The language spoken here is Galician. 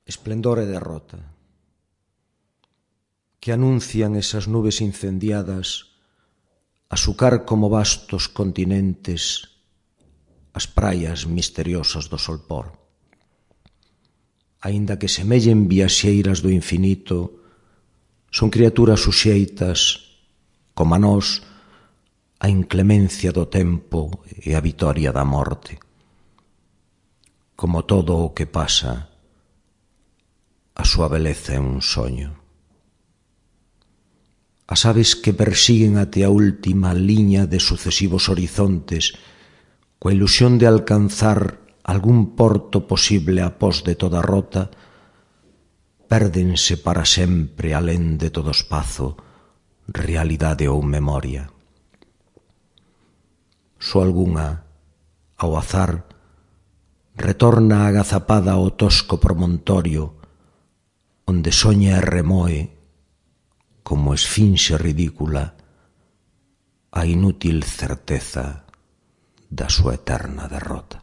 esplendor e derrota, que anuncian esas nubes incendiadas, asucar como vastos continentes as praias misteriosas do solpor. Aínda que semellen viaxeiras do infinito, son criaturas suxeitas, como a nós, a inclemencia do tempo e a vitoria da morte. Como todo o que pasa, a súa beleza é un soño. As aves que persiguen até a última liña de sucesivos horizontes, coa ilusión de alcanzar algún porto posible após de toda rota, pérdense para sempre alén de todo espazo, realidade ou memoria. Só algunha, ao azar, retorna agazapada ao tosco promontorio, onde soña e remoe, como esfinxe ridícula, a inútil certeza da súa eterna derrota.